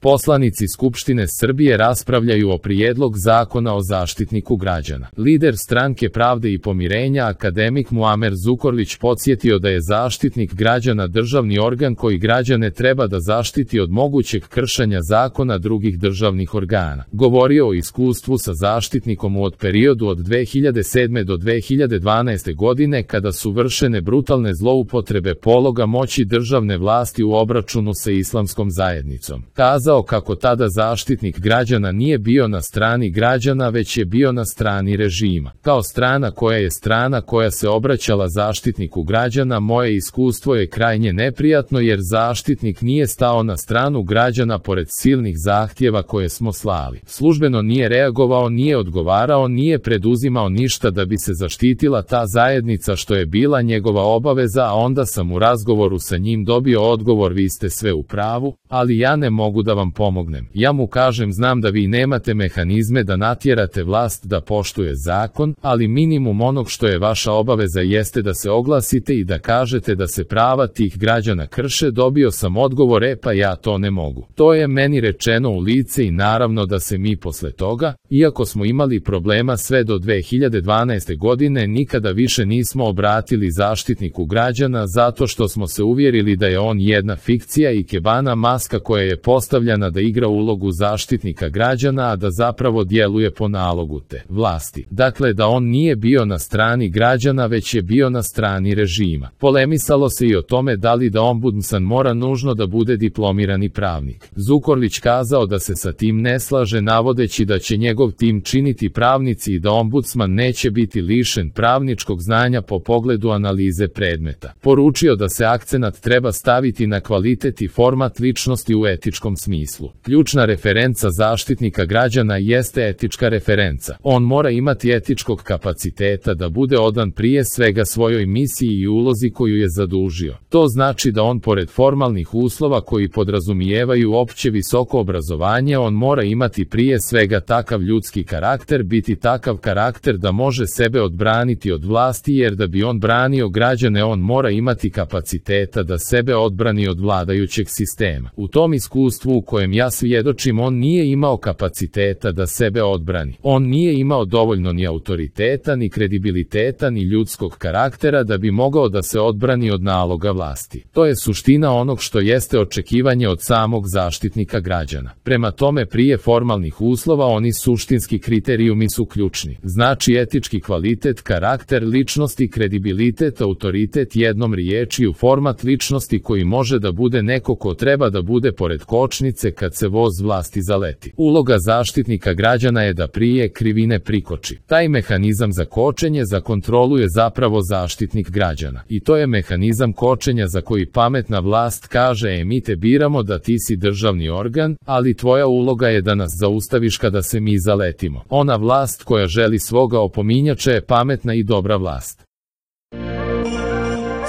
Poslanici Skupštine Srbije raspravljaju o prijedlog zakona o Zaštitniku građana. Lider Stranke pravde i pomirenja akademik Muamer Zukorlić podsjetio da je Zaštitnik građana državni organ koji građane treba da zaštiti od mogućeg kršenja zakona drugih državnih organa. Govorio o iskustvu sa Zaštitnikom od periodu od 2007. do 2012. godine kada su vršene brutalne zloupotrebe pologa moći državne vlasti u obračunu sa islamskom zajednicom. Kazao kako tada Zaštitnik građana nije bio na strani građana već je bio na strani režima. Kao strana koja se obraćala Zaštitniku građana, moje iskustvo je krajnje neprijatno jer Zaštitnik nije stao na stranu građana pored silnih zahtjeva koje smo slali. Službeno nije reagovao, nije odgovarao, nije preduzimao ništa da bi se zaštitila ta zajednica što je bila njegova obaveza, a onda sam u razgovoru sa njim dobio odgovor: vi ste sve u pravu, ali ja ne mogu da vam pomognem. Ja mu kažem: znam da vi nemate mehanizme da natjerate vlast da poštuje zakon, ali minimum onog što je vaša obaveza jeste da se oglasite i da kažete da se prava tih građana krše. Dobio sam odgovor: pa ja to ne mogu. To je meni rečeno u lice i naravno da se mi posle toga, iako smo imali problema sve do 2012. godine, nikada više nismo obratili Zaštitniku građana zato što smo se uvjerili da je on jedna fikcija i kebana maska koja je postavljena da igra ulogu Zaštitnika građana, a da zapravo djeluje po nalogu te vlasti. Dakle, da on nije bio na strani građana već je bio na strani režima. Polemisalo se i o tome da li da ombudsman mora nužno da bude diplomirani pravnik. Zukorlić kazao da se sa tim ne slaže, navodeći da će njegov tim činiti pravnici i da ombudsman neće biti lišen pravničkog znanja po pogledu analize predmeta. Poručio da se akcenat treba staviti na kvalitet i format ličnosti u etičkom smislu. Ključna referenca Zaštitnika građana jeste etička referenca. On mora imati etičkog kapaciteta da bude odan prije svega svojoj misiji i ulozi koju je zadužio. To znači da on pored formalnih uslova koji podrazumijevaju opće visoko obrazovanje, on mora imati prije svega takav ljudski karakter, biti takav karakter da može sebe odbraniti od vlasti, jer da bi on branio građane on mora imati kapaciteta da sebe odbrani od vladajućeg sistema. U tom iskustvu u kojem ja svjedočim, on nije imao kapaciteta da sebe odbrani. On nije imao dovoljno ni autoriteta, ni kredibiliteta, ni ljudskog karaktera da bi mogao da se odbrani od naloga vlasti. To je suština onog što jeste očekivanje od samog Zaštitnika građana. Prema tome, prije formalnih uslova oni suštinski kriterijumi su ključni. Znači etički kvalitet, karakter ličnosti, kredibilitet, autoritet, jednom riječju format ličnosti koji može da bude neko ko treba da bude pored kočnice kad se voz vlasti zaleti. Uloga Zaštitnika građana je da prije krivine prikoči. Taj mehanizam za kočenje, za kontrolu je zapravo Zaštitnik građana. I to je mehanizam kočenja za koji pametna vlast kaže: mi te biramo da ti si državni organ, ali tvoja uloga je da nas zaustaviš kada se mi zaletimo. Ona vlast koja želi svoga opominjača je pametna i dobra vlast.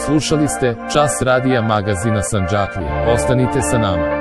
Slušali ste Čas radija magazina Sandžaklija. Ostanite sa nama.